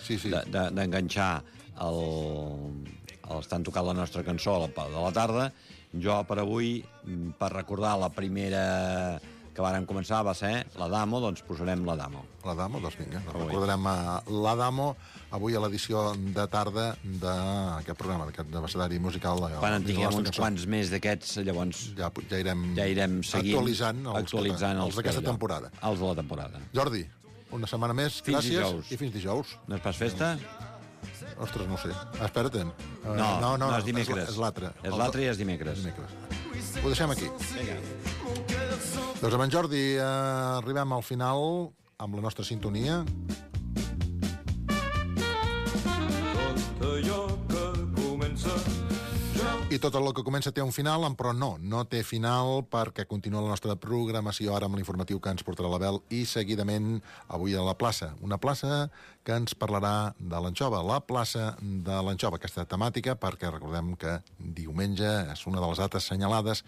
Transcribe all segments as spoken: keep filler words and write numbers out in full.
d'enganxar el, el estan tocant la nostra cançó a la, de la tarda. Jo, per avui, per recordar la primera que vàrem començar, va ser l'Adamo, doncs posarem l'Adamo. L'Adamo, doncs vinga, doncs recordarem l'Adamo avui a l'edició de tarda d'aquest programa, d'aquest abecedari musical. Quan en tinguem uns quants més d'aquests, llavors ja, ja irem, ja irem seguint, actualitzant els, actualitzant els, els d'aquesta temporada. Els de la temporada. Jordi, una setmana més, fins gràcies, dijous. I fins dijous. No és pas festa? Ostres, no ho sé. Espera't. No, no, no, no és dimecres. És l'altre. És l'altre i és dimecres. dimecres. Ho deixem aquí. Vinga. Doncs amb en Jordi eh, arribem al final amb la nostra sintonia. Tot allò que comença... I tot el que comença té un final, però no, no té final perquè continua la nostra programació ara amb l'informatiu que ens portarà l'Abel i seguidament avui a la plaça. Una plaça que ens parlarà de l'anxova, la plaça de l'anxova, aquesta temàtica, perquè recordem que diumenge és una de les dates assenyalades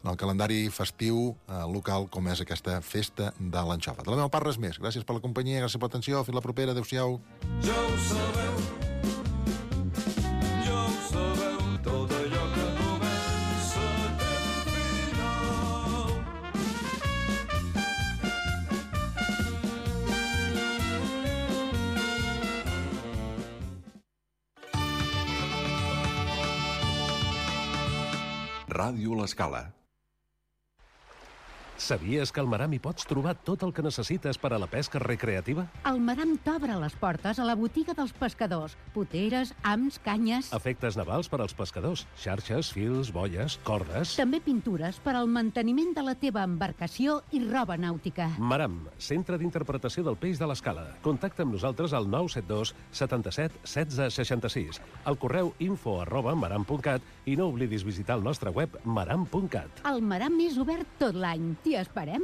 en el calendari festiu eh, local com és aquesta festa de l'anxova. De la meva part res més. Gràcies per la companyia, gràcies per l'atenció. Fins la propera. Adéu-siau. Ja ho sabeu, ja ho sabeu, tot allò que comença té un final. Ràdio L'Escala. Sabies que al Maram hi pots trobar tot el que necessites per a la pesca recreativa? El Maram t'obre les portes a la botiga dels pescadors. Poteres, hams, canyes... Efectes navals per als pescadors. Xarxes, fils, boies, cordes... També pintures per al manteniment de la teva embarcació i roba nàutica. Maram, centre d'interpretació del peix de l'Escala. Contacta amb nosaltres al nou set dos setanta-set setze seixanta-sis, al correu info arroba maram punt cat i no oblidis visitar el nostre web maram punt cat. El Maram és obert tot l'any. T'hi esperem.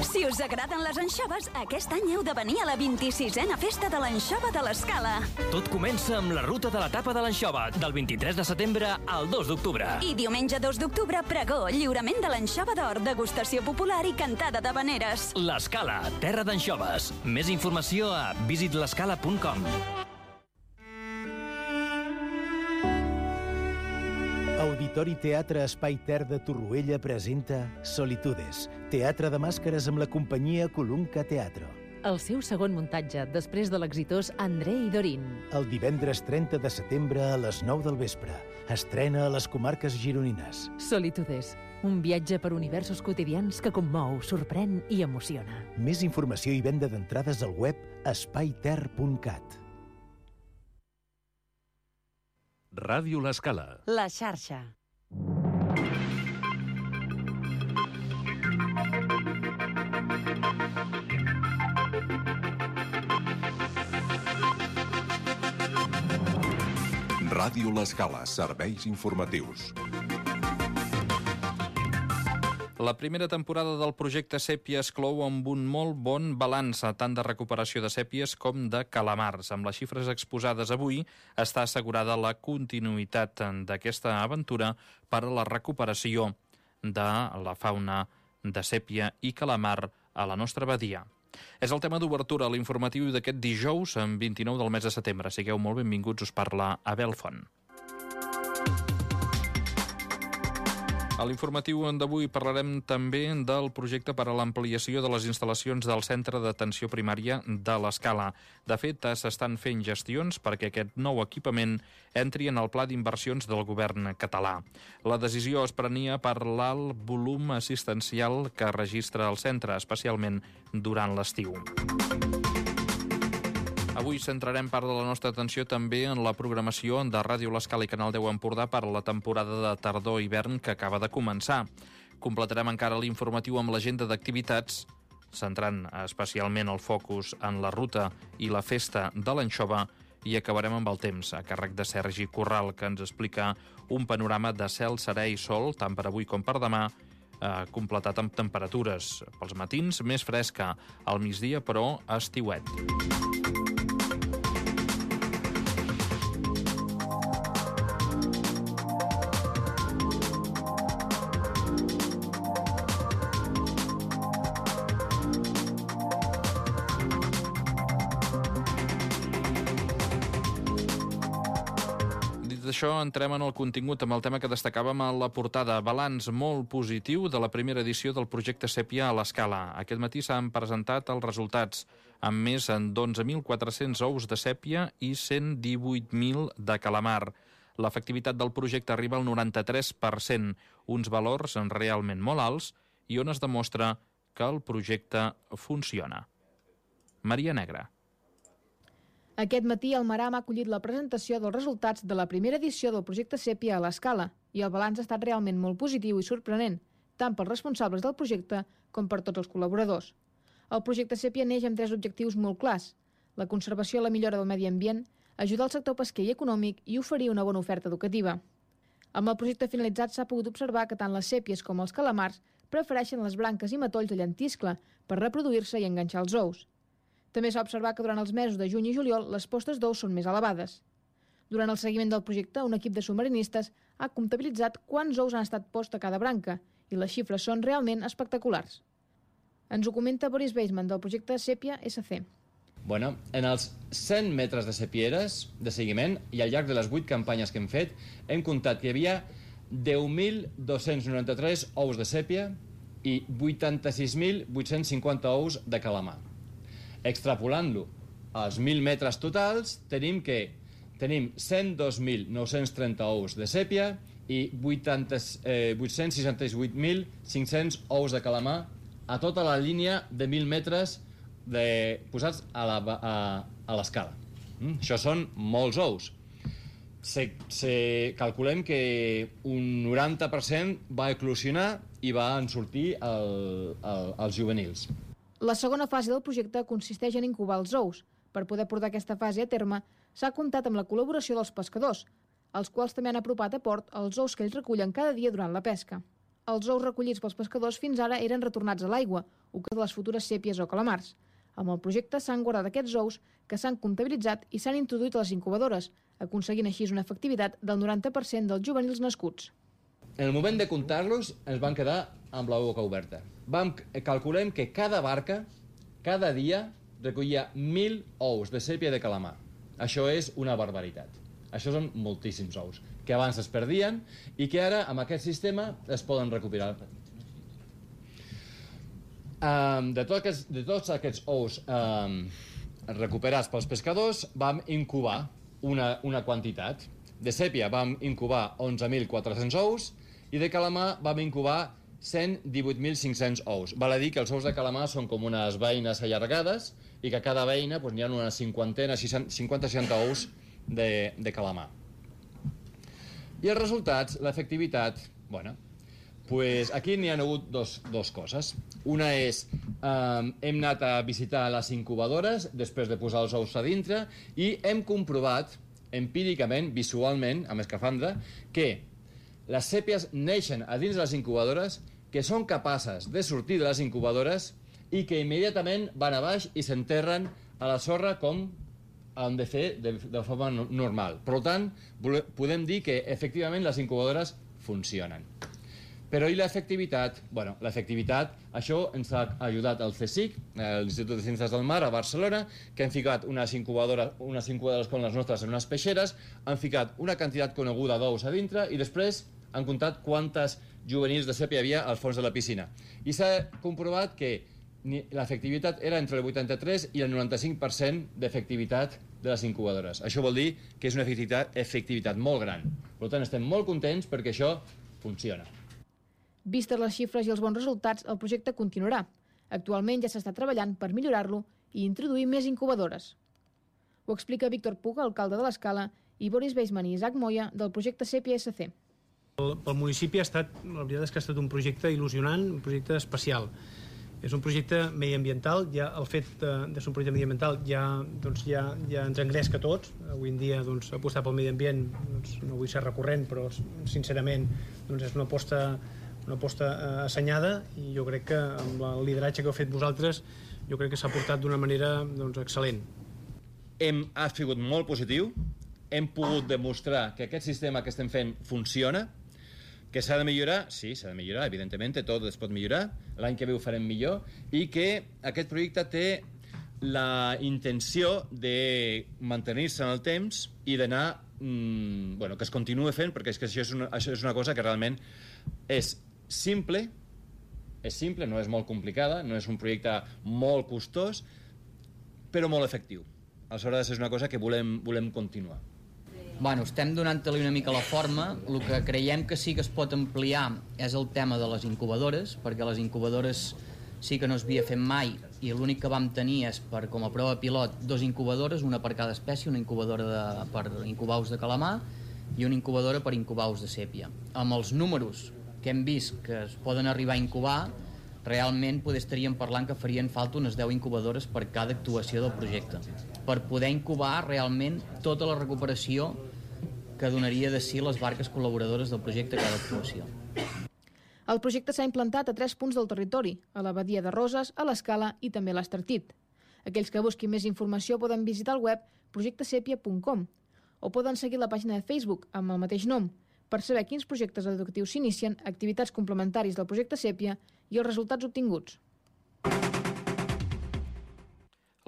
Si us agraden les anxoves, aquest any heu de venir a la vint-i-sisena Festa de l'Anxova de l'Escala. Tot comença amb la ruta de la tapa de l'anxova, del vint-i-tres de setembre al dos d'octubre. I diumenge dos d'octubre, pregó, lliurament de l'anxova d'or, degustació popular i cantada d'habaneres. L'Escala, terra d'anxoves. Més informació a visit l'escala punt com. Auditori Teatre Espai Ter de Torroella presenta Solitudes, teatre de màscares amb la companyia Colunca Teatro. El seu segon muntatge, després de l'exitós André i Dorin. El divendres trenta de setembre a les nou del vespre. Estrena a les comarques gironines. Solitudes, un viatge per universos quotidians que commou, sorprèn i emociona. Més informació i venda d'entrades al web espai ter punt cat. Ràdio L'Escala. La xarxa. Ràdio L'Escala, serveis informatius. La primera temporada del projecte Sèpia es clou amb un molt bon balanç, tant de recuperació de sèpies com de calamars. Amb les xifres exposades avui, està assegurada la continuïtat d'aquesta aventura per a la recuperació de la fauna de sèpia i calamar a la nostra badia. És el tema d'obertura a l'informatiu d'aquest dijous, en vint-i-nou del mes de setembre. Sigueu molt benvinguts, us parla Abel Font. A l'informatiu d'avui parlarem també del projecte per a l'ampliació de les instal·lacions del Centre d'Atenció Primària de l'Escala. De fet, s'estan fent gestions perquè aquest nou equipament entri en el pla d'inversions del govern català. La decisió es prenia per l'alt volum assistencial que registra el centre, especialment durant l'estiu. Avui centrarem part de la nostra atenció també en la programació de Ràdio L'Escala i Canal deu Empordà per a la temporada de tardor-hivern que acaba de començar. Completarem encara l'informatiu amb l'agenda d'activitats, centrant especialment el focus en la ruta i la festa de l'anxova, i acabarem amb el temps, a càrrec de Sergi Corral, que ens explica un panorama de cel serè i sol, tant per avui com per demà, eh, completat amb temperatures pels matins més fresca, al migdia però estiuet. d'això entrem en el contingut, amb el tema que destacàvem a la portada. Balanç molt positiu de la primera edició del projecte Sèpia a l'Escala. Aquest matí s'han presentat els resultats, amb més d'onze mil quatre-cents ous de sèpia i cent divuit mil de calamar. L'efectivitat del projecte arriba al noranta-tres per cent, uns valors realment molt alts i on es demostra que el projecte funciona. Maria Negra. Aquest matí el Maram ha acollit la presentació dels resultats de la primera edició del projecte Sèpia a l'Escala i el balanç ha estat realment molt positiu i sorprenent, tant pels responsables del projecte com per tots els col·laboradors. El projecte Sèpia neix amb tres objectius molt clars: la conservació i la millora del medi ambient, ajudar el sector pesquer i econòmic i oferir una bona oferta educativa. Amb el projecte finalitzat s'ha pogut observar que tant les sèpies com els calamars prefereixen les branques i matolls de llentiscle per reproduir-se i enganxar els ous. També s'ha observat que durant els mesos de juny i juliol les postes d'ous són més elevades. Durant el seguiment del projecte, un equip de submarinistes ha comptabilitzat quants ous han estat posts a cada branca i les xifres són realment espectaculars. Ens ho comenta Boris Weisman del projecte Sèpia S C. Bueno, en els cent metres de sèpieres de seguiment i al llarg de les vuit campanyes que hem fet hem comptat que hi havia deu mil dos-cents noranta-tres ous de sèpia i vuitanta-sis mil vuit-cents cinquanta ous de calamar. Extrapolant-lo als mil metres totals, tenim que tenim cent dos mil nou-cents trenta ous de sèpia i vuit-cents seixanta-vuit mil cinc-cents ous de calamar a tota la línia de mil metres de, posats a la, a, a l'escala. Mm? Això són molts ous. Se, se, calculem que un noranta per cent va eclosionar i van sortir el, el, els juvenils. La segona fase del projecte consisteix en incubar els ous. Per poder portar aquesta fase a terme, s'ha comptat amb la col·laboració dels pescadors, els quals també han apropat a port els ous que ells recullen cada dia durant la pesca. Els ous recollits pels pescadors fins ara eren retornats a l'aigua, o que de les futures sèpies o calamars. Amb el projecte s'han guardat aquests ous que s'han comptabilitzat i s'han introduït a les incubadores, aconseguint així una efectivitat del noranta per cent dels juvenils nascuts. En el moment de comptar-los ens van quedar amb la boca oberta. Vam, calculem que cada barca, cada dia, recollia mil ous de sèpia de calamar. Això és una barbaritat. Això són moltíssims ous, que abans es perdien i que ara, amb aquest sistema, es poden recuperar. Um, de, tot aquests, de tots aquests ous um, recuperats pels pescadors, vam incubar una, una quantitat. De sèpia vam incubar onze mil quatre-cents ous i de calamar vam incubar cent divuit mil cinc-cents ous. Val a dir que els ous de calamar són com unes beines allargades i que a cada beina doncs, hi ha una cinquantena, cinquanta seixanta ous de, de calamar. I els resultats, l'efectivitat, bueno, pues aquí n'hi ha hagut dos, dos coses. Una és, eh, hem anat a visitar les incubadores després de posar els ous a dintre i hem comprovat empíricament, visualment, amb escafandra, que les sèpies neixen a dins de les incubadores, que són capaces de sortir de les incubadores i que immediatament van a baix i s'enterren a la sorra com han de fer de, de forma normal. Per tant, podem dir que efectivament les incubadores funcionen. Però i l'efectivitat? Bueno, l'efectivitat, això ens ha ajudat el C S I C, l'Institut de Ciències del Mar, a Barcelona, que han ficat unes incubadores, unes incubadores com les nostres en unes peixeres, han ficat una quantitat coneguda d'ous a dintre i després han comptat quantes juvenils de sèpia hi havia al fons de la piscina. I s'ha comprovat que l'efectivitat era entre el vuitanta-tres i el noranta-cinc per cent d'efectivitat de les incubadores. Això vol dir que és una efectivitat, efectivitat molt gran. Per tant, estem molt contents perquè això funciona. Vistes les xifres i els bons resultats, el projecte continuarà. Actualment ja s'està treballant per millorar-lo i introduir més incubadores. Ho explica Víctor Puga, alcalde de l'Escala, i Boris Weisman i Isaac Moya, del projecte Sèpia S C. El, el municipi ha estat, la veritat és que ha estat un projecte il·lusionant, un projecte especial. És un projecte mediambiental, ja el fet de, de ser un projecte mediambiental ja, doncs, ja, ja ens engresca a tots. Avui en dia doncs, apostar pel medi ambient, doncs, no vull ser recurrent, però sincerament doncs, és una aposta una aposta eh, assenyada i jo crec que amb el lideratge que heu fet vosaltres jo crec que s'ha portat d'una manera doncs, excel·lent. Hem, ha sigut molt positiu, hem pogut demostrar que aquest sistema que estem fent funciona, que s'ha de millorar, sí, s'ha de millorar, evidentment, tot es pot millorar, l'any que ve ho farem millor, i que aquest projecte té la intenció de mantenir-se en el temps i d'anar mmm, bueno, que es continua fent, perquè és que això és, una, això és una cosa que realment és simple, és simple, no és molt complicada, no és un projecte molt costós, però molt efectiu. Aleshores és una cosa que volem, volem continuar. Bueno, estem donant-li una mica la forma. El que creiem que sí que es pot ampliar és el tema de les incubadores, perquè les incubadores sí que no es havia fet mai i l'únic que vam tenir és per, com a prova pilot, dos incubadores, una per cada espècie, una incubadora de, per incubar ous de calamar i una incubadora per incubar ous de sèpia. Amb els números que hem vist que es poden arribar a incubar, realment poder estaríem parlant que farien falta unes deu incubadores per cada actuació del projecte, per poder incubar realment tota la recuperació que donaria de si les barques col·laboradores del projecte a cada actuació. El projecte s'ha implantat a tres punts del territori, a la Badia de Roses, a l'Escala i també a l'Estartit. Aquells que busquin més informació poden visitar el web projecte sepia punt com o poden seguir la pàgina de Facebook amb el mateix nom per saber quins projectes educatius s'inicien, activitats complementaris del projecte Sèpia i els resultats obtinguts.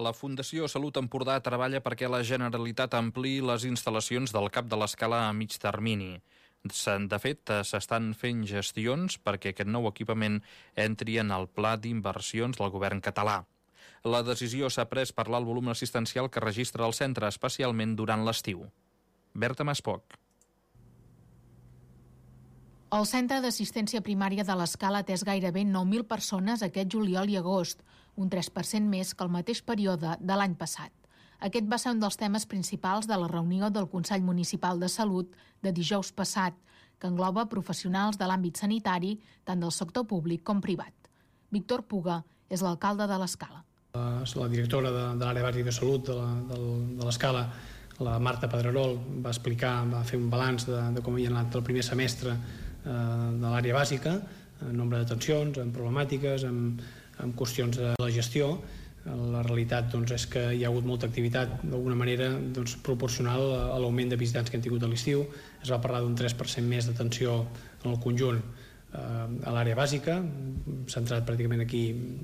La Fundació Salut Empordà treballa perquè la Generalitat ampliï les instal·lacions del cap de l'Escala a mig termini. De fet, s'estan fent gestions perquè aquest nou equipament entri en el pla d'inversions del govern català. La decisió s'ha pres per l'alt volum assistencial que registra el centre, especialment durant l'estiu. Berta Maspoc. El Centre d'Assistència Primària de l'Escala ha atès gairebé nou mil persones aquest juliol i agost, un tres per cent més que el mateix període de l'any passat. Aquest va ser un dels temes principals de la reunió del Consell Municipal de Salut de dijous passat, que engloba professionals de l'àmbit sanitari, tant del sector públic com privat. Víctor Puga és l'alcalde de l'Escala. La directora de, de l'àrea bàsica de salut de, la, de l'Escala, la Marta Pedrerol, va explicar, va fer un balanç de, de com havia anat el primer semestre eh, de l'àrea bàsica, en nombre d'atencions, en problemàtiques, en, en qüestions de la gestió. La realitat doncs, és que hi ha hagut molta activitat d'alguna manera doncs, proporcional a l'augment de visitants que han tingut a l'estiu. Es va parlar d'un tres per cent més d'atenció en el conjunt eh, a l'àrea bàsica, centrat pràcticament aquí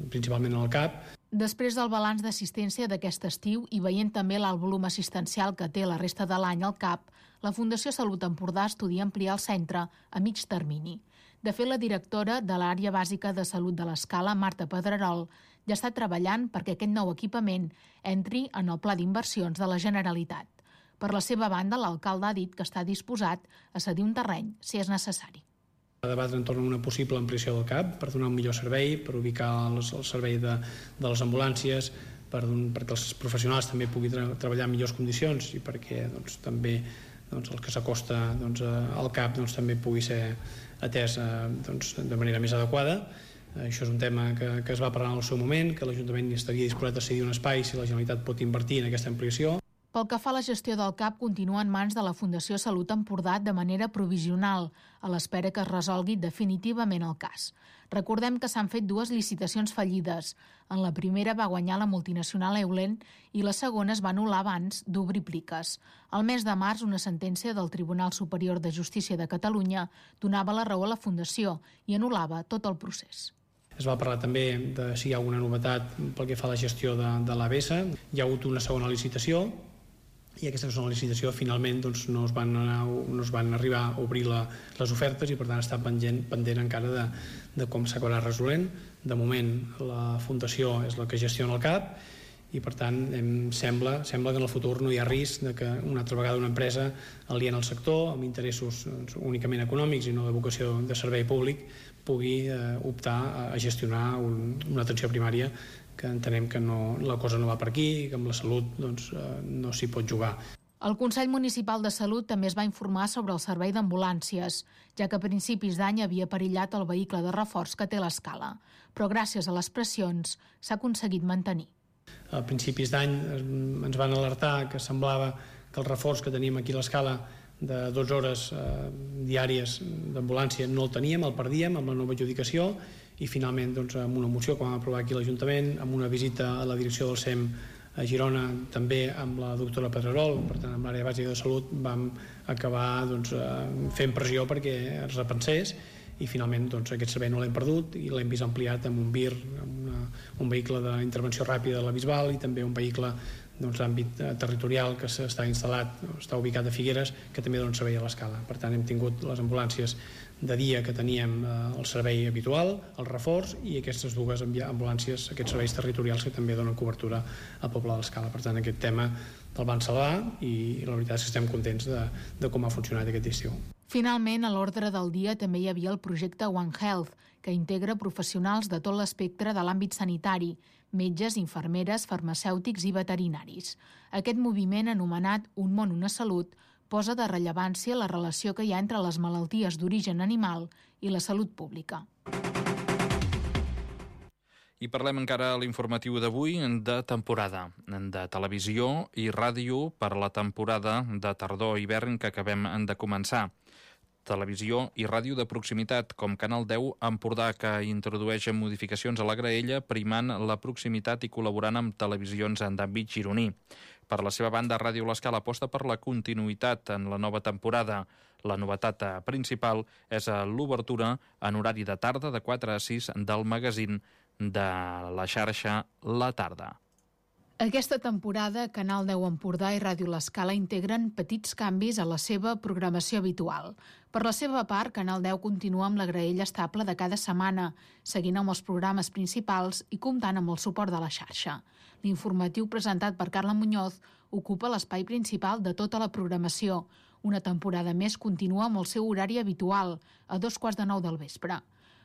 principalment en el C A P. Després del balanç d'assistència d'aquest estiu i veient també l'alt volum assistencial que té la resta de l'any al C A P, la Fundació Salut Empordà estudia ampliar el centre a mig termini. De fet, la directora de l'àrea bàsica de salut de l'Escala, Marta Pedrerol, ja està treballant perquè aquest nou equipament entri en el pla d'inversions de la Generalitat. Per la seva banda, l'alcalde ha dit que està disposat a cedir un terreny si és necessari. A debatre entorn a una possible ampliació del C A P per donar un millor servei, per ubicar el, el servei de, de les ambulàncies, per, perquè els professionals també puguin tra treballar en millors condicions i perquè doncs, també doncs, el que s'acosta doncs, al C A P doncs, també pugui ser atès doncs, de manera més adequada. Això és un tema que, que es va parlar en el seu moment, que l'Ajuntament estaria disposat a cedir un espai si la Generalitat pot invertir en aquesta ampliació. Pel que fa a la gestió del C A P, continua en mans de la Fundació Salut Empordà de manera provisional, a l'espera que es resolgui definitivament el cas. Recordem que s'han fet dues licitacions fallides. En la primera va guanyar la multinacional Eulen i la segona es va anul·lar abans d'obrir pliques. Al mes de març, una sentència del Tribunal Superior de Justícia de Catalunya donava la raó a la Fundació i anul·lava tot el procés. Es va parlar també de si hi ha alguna novetat pel que fa a la gestió de, de l'A B S. Hi ha hagut una segona licitació i aquesta segona licitació finalment doncs, no, es van anar, no es van arribar a obrir la, les ofertes i per tant està pendent, pendent encara de, de com s'acabarà resolent. De moment la Fundació és la que gestiona el C A P i per tant em sembla, sembla que en el futur no hi ha risc de que una altra vegada una empresa aliena al sector amb interessos doncs, únicament econòmics i no de vocació de servei públic pugui eh, optar a gestionar un, una atenció primària que entenem que no, la cosa no va per aquí i que amb la salut doncs, eh, no s'hi pot jugar. El Consell Municipal de Salut també es va informar sobre el servei d'ambulàncies, ja que a principis d'any havia perillat el vehicle de reforç que té l'Escala, però gràcies a les pressions s'ha aconseguit mantenir. A principis d'any ens van alertar que semblava que el reforç que teníem aquí a l'Escala de dotze hores eh, diàries d'ambulància no el teníem, el perdíem amb la nova adjudicació i finalment doncs, amb una moció que vam aprovar aquí a l'Ajuntament, amb una visita a la direcció del S E M a Girona, també amb la doctora Pedrerol, per tant amb l'àrea bàsica de salut vam acabar doncs, fent pressió perquè es repensés i finalment doncs, aquest servei no l'hem perdut i l'hem vist ampliat amb un V I R, amb una, un vehicle d'intervenció ràpida de la Bisbal i també un vehicle doncs, àmbit territorial que s'està instal·lat, està ubicat a Figueres, que també dona servei a l'Escala. Per tant, hem tingut les ambulàncies de dia que teníem el servei habitual, el reforç, i aquestes dues ambulàncies, aquests serveis territorials que també donen cobertura al poble de l'Escala. Per tant, aquest tema el van salvar i la veritat és que estem contents de, de com ha funcionat aquest estiu. Finalment, a l'ordre del dia també hi havia el projecte One Health, que integra professionals de tot l'espectre de l'àmbit sanitari, metges, infermeres, farmacèutics i veterinaris. Aquest moviment, anomenat Un món, una salut, posa de rellevància la relació que hi ha entre les malalties d'origen animal i la salut pública. I parlem encara a l'informatiu d'avui de temporada, de televisió i ràdio per la temporada de tardor-hivern que acabem de començar. Televisió i ràdio de proximitat, com Canal deu Empordà, que introdueix modificacions a la graella, primant la proximitat i col·laborant amb televisions d'àmbit gironí. Per la seva banda, Ràdio L'Escala aposta per la continuïtat en la nova temporada. La novetat principal és l'obertura en horari de tarda de quatre a sis del magazín de la xarxa La Tarda. Aquesta temporada, Canal deu Empordà i Ràdio L'Escala integren petits canvis a la seva programació habitual. Per la seva part, Canal deu continua amb la graella estable de cada setmana, seguint amb els programes principals i comptant amb el suport de la xarxa. L'informatiu presentat per Carla Muñoz ocupa l'espai principal de tota la programació. Una temporada més continua amb el seu horari habitual, a dos quarts de nou del vespre.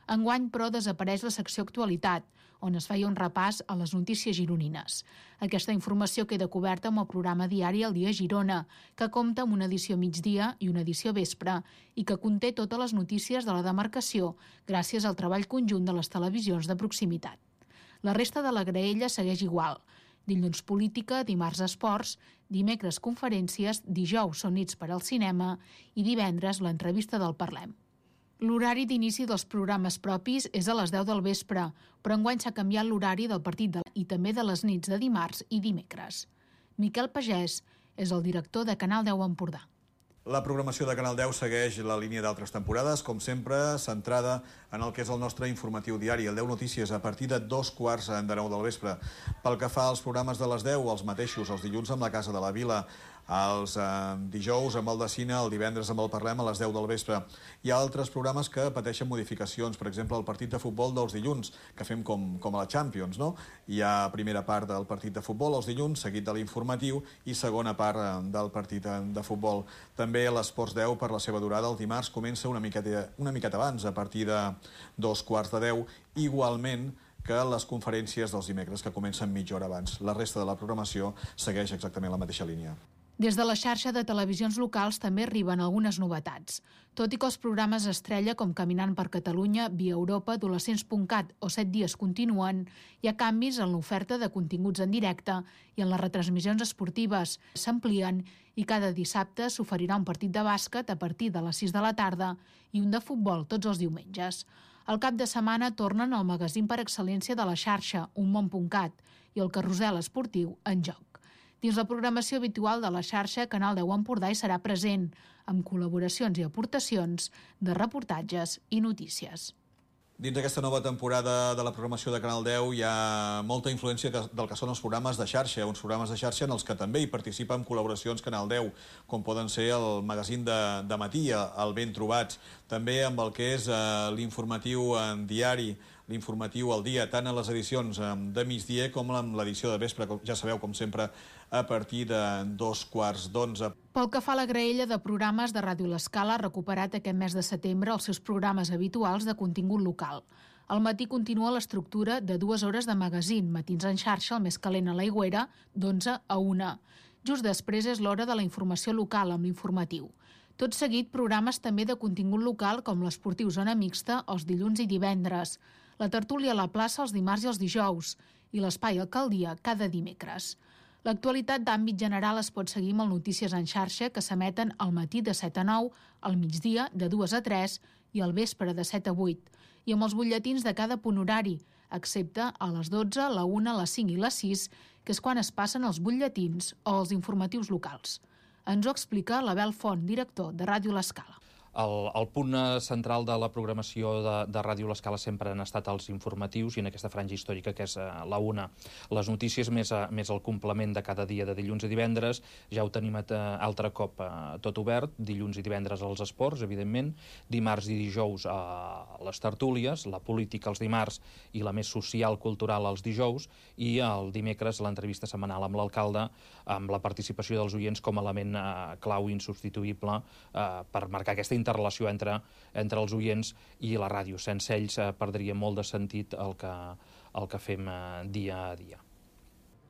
Enguany, però, desapareix la secció Actualitat, on es feia un repàs a les notícies gironines. Aquesta informació queda coberta amb el programa diari El Dia Girona, que compta amb una edició migdia i una edició vespre i que conté totes les notícies de la demarcació gràcies al treball conjunt de les televisions de proximitat. La resta de la graella segueix igual. Dilluns política, dimarts esports, dimecres conferències, dijous són nits per al cinema i divendres l'entrevista del Parlem. L'horari d'inici dels programes propis és a les deu del vespre, però enguany s'ha canviat l'horari del partit de... i també de les nits de dimarts i dimecres. Miquel Pagès és el director de Canal deu Empordà. La programació de Canal deu segueix la línia d'altres temporades, com sempre, centrada en el que és el nostre informatiu diari, el deu Notícies, a partir de dos quarts de nou del vespre. Pel que fa als programes de les deu, els mateixos, els dilluns amb la Casa de la Vila, els eh, dijous amb el de cine, el divendres amb el Parlem a les deu del vespre. Hi ha altres programes que pateixen modificacions, per exemple, el partit de futbol dels dilluns, que fem com, com a la Champions, no? Hi ha primera part del partit de futbol els dilluns, seguit de l'informatiu, i segona part eh, del partit de futbol. També l'Esports deu, per la seva durada, el dimarts comença una miqueta, una miqueta abans, a partir de dos quarts de deu, igualment que les conferències dels dimecres, que comencen mitja hora abans. La resta de la programació segueix exactament la mateixa línia. Des de la xarxa de televisions locals també arriben algunes novetats. Tot i que els programes estrella com Caminant per Catalunya, Via Europa, Adolescents punt cat o Set dies continuen, hi ha canvis en l'oferta de continguts en directe i en les retransmissions esportives. S'amplien i cada dissabte s'oferirà un partit de bàsquet a partir de les sis de la tarda i un de futbol tots els diumenges. Al cap de setmana tornen al magazín per excel·lència de la xarxa, Un món punt cat, i el carrusel esportiu En joc. Dins la programació habitual de la xarxa, Canal deu Empordà hi serà present, amb col·laboracions i aportacions de reportatges i notícies. Dins d'aquesta nova temporada de la programació de Canal deu hi ha molta influència del que són els programes de xarxa, uns programes de xarxa en els que també hi participa amb col·laboracions Canal deu, com poden ser el magazín de, de matí, el Ben Trobats, també amb el que és uh, l'informatiu en diari, l'informatiu al dia, tant en les edicions de migdia com en l'edició de vespre, com ja sabeu, com sempre, a partir de dos quarts d'onze. Pel que fa a la graella de programes de Ràdio L'Escala, ha recuperat aquest mes de setembre els seus programes habituals de contingut local. Al matí continua l'estructura de dues hores de magazín, matins en xarxa, el més calent a l'Aigüera, d'onze a una. Just després és l'hora de la informació local, amb l'informatiu. Tot seguit, programes també de contingut local com l'Esportiu Zona Mixta els dilluns i divendres, la tertúlia a la plaça els dimarts i els dijous i l'Espai Alcaldia cada dimecres. L'actualitat d'àmbit general es pot seguir amb el Notícies en xarxa, que s'emeten al matí de set a nou, al migdia de dues a tres i al vespre de set a vuit, i amb els butlletins de cada punt horari, excepte a les dotze, la una, la cinc i la sis, que és quan es passen els butlletins o els informatius locals. Ens ho explica l'Abel Font, director de Ràdio L'Escala. El, el punt central de la programació de, de Ràdio L'Escala sempre han estat els informatius i en aquesta franja històrica que és uh, la una. Les notícies més, uh, més el complement de cada dia de dilluns i divendres. Ja ho tenim uh, altre cop uh, tot obert. Dilluns i divendres als esports, evidentment. Dimarts i dijous a uh, les tertúlies. La política els dimarts i la més social, cultural els dijous. I el dimecres l'entrevista setmanal amb l'alcalde amb la participació dels oients com a element uh, clau insubstituïble uh, per marcar aquesta interrelació entre, entre els oients i la ràdio. Sense ells eh, perdria molt de sentit el que, el que fem eh, dia a dia.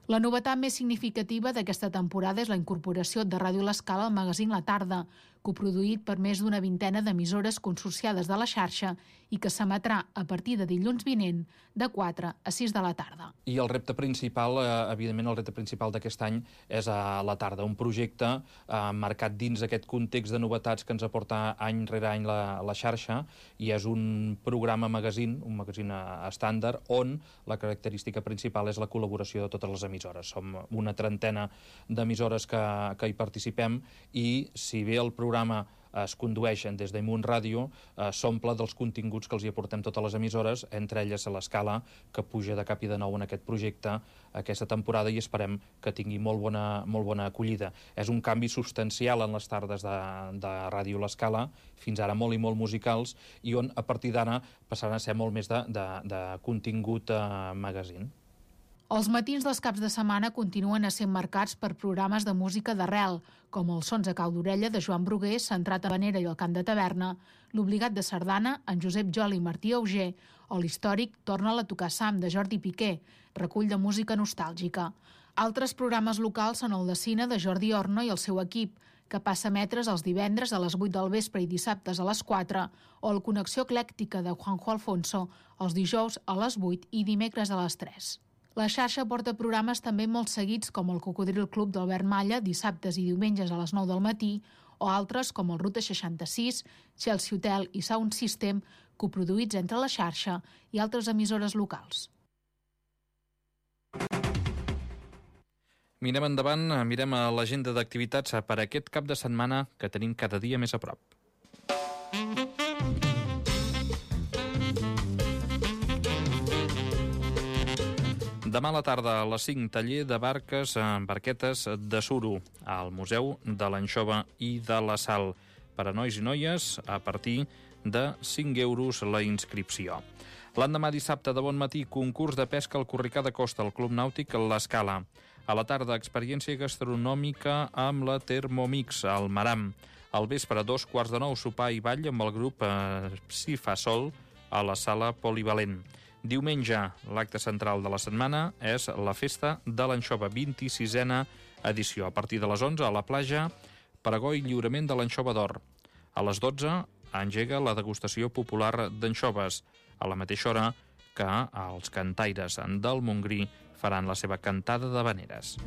La novetat més significativa d'aquesta temporada és la incorporació de Ràdio L'Escala al magazín La Tarda, coproduït per més d'una vintena d'emissores consorciades de la xarxa i que s'emetrà a partir de dilluns vinent de quatre a sis de la tarda. I el repte principal, eh, evidentment el repte principal d'aquest any és a la tarda, un projecte eh, marcat dins aquest context de novetats que ens aporta any rere any la, la xarxa, i és un programa magazín, un magazín estàndard, on la característica principal és la col·laboració de totes les emissores. Som una trentena d'emissores que, que hi participem, i si bé el programa es condueixen des d'Imunt Ràdio, eh, s'omple dels continguts que els hi aportem totes les emissores, entre elles a l'Escala, que puja de cap i de nou en aquest projecte aquesta temporada, i esperem que tingui molt bona, molt bona acollida. És un canvi substancial en les tardes de, de Ràdio L'Escala, fins ara molt i molt musicals, i on a partir d'ara passaran a ser molt més de, de, de contingut eh, magazín. Els matins dels caps de setmana continuen essent marcats per programes de música d'arrel, com els Sons a cau d'orella de Joan Bruguer, centrat a Vanera i el Cant de Taverna, l'Obligat de Sardana, en Josep Joli i Martí Auger, o l'històric Torna'l a tocar Sam, de Jordi Piqué, recull de música nostàlgica. Altres programes locals són el de cine de Jordi Orno i el seu equip, que passa a emetre's els divendres a les vuit del vespre i dissabtes a les quatre, o el Connexió Eclèctica de Juanjo Alfonso, els dijous a les vuit i dimecres a les tres. La xarxa porta programes també molt seguits com el Cocodril Club d'Albert Malla, dissabtes i diumenges a les nou del matí, o altres com el Ruta seixanta-sis, Chelsea Hotel i Sound System, coproduïts entre la xarxa i altres emissores locals. Mirem endavant, mirem a l'agenda d'activitats per aquest cap de setmana que tenim cada dia més a prop. Demà a la tarda a les cinc, taller de barques, barquetes de suro al Museu de l'Anxova i de la Sal. Per a nois i noies, a partir de cinc euros la inscripció. L'endemà dissabte de bon matí, concurs de pesca al Corricà de Costa, al Club Nàutic L'Escala. A la tarda, experiència gastronòmica amb la Thermomix, al Maram. Al vespre, dos quarts de nou, sopar i ball amb el grup eh, Si fa sol a la sala polivalent. Diumenge, l'acte central de la setmana és la Festa de l'Anxova, vint-i-sisena edició. A partir de les onze, a la platja, pregó i lliurament de l'anxova d'or. A les dotze, engega la degustació popular d'anxoves. A la mateixa hora que els cantaires del Montgrí faran la seva cantada d'havaneres.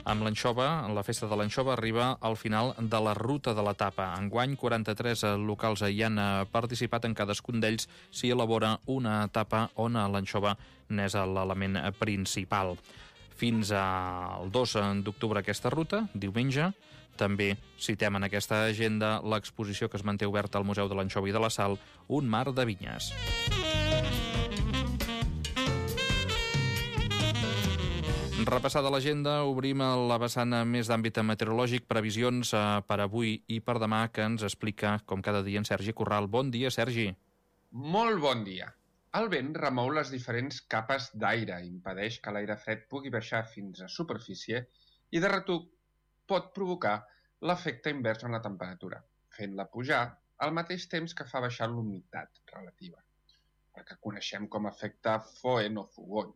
Amb l'anxova, la Festa de l'Anxova arriba al final de la ruta de l'etapa. Enguany, quaranta-tres locals hi han participat. En cadascun d'ells s'hi elabora una etapa on l'anxova n'és l'element principal. Fins al dos d'octubre aquesta ruta, diumenge. També citem en aquesta agenda l'exposició que es manté oberta al Museu de l'Anxova i de la Sal, Un mar de vinyes. Repassada l'agenda, obrim la vessant més d'àmbit meteorològic, previsions per avui i per demà, que ens explica, com cada dia, en Sergi Corral. Bon dia, Sergi. Molt bon dia. El vent remou les diferents capes d'aire, impedeix que l'aire fred pugui baixar fins a superfície i, de retruc, pot provocar l'efecte invers en la temperatura, fent-la pujar al mateix temps que fa baixar l'humitat relativa, el que coneixem com a efecte Foehn o Fugon.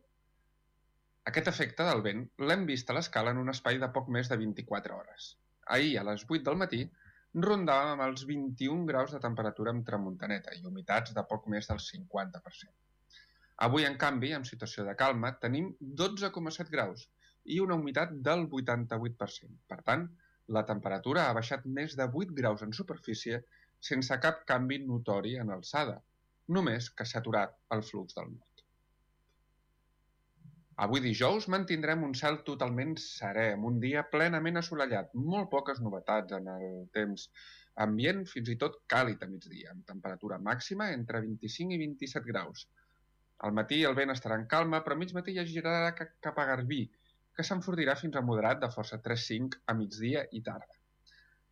Aquest efecte del vent l'hem vist a l'Escala en un espai de poc més de vint-i-quatre hores. Ahir, a les vuit del matí, rondàvem amb els vint-i-un graus de temperatura amb tramuntaneta i humitats de poc més del cinquanta per cent. Avui, en canvi, en situació de calma, tenim dotze coma set graus i una humitat del vuitanta-vuit per cent. Per tant, la temperatura ha baixat més de vuit graus en superfície sense cap canvi notori en alçada, només que s'ha aturat el flux del nord. Avui dijous mantindrem un cel totalment serè, amb un dia plenament assolellat, molt poques novetats en el temps ambient, fins i tot càlid a migdia, amb temperatura màxima entre vint-i-cinc i vint-i-set graus. Al matí el vent estarà en calma, però a mig matí ja girarà cap a Garbí, que s'enfortirà fins a moderat de força tres cinc a migdia i tarda.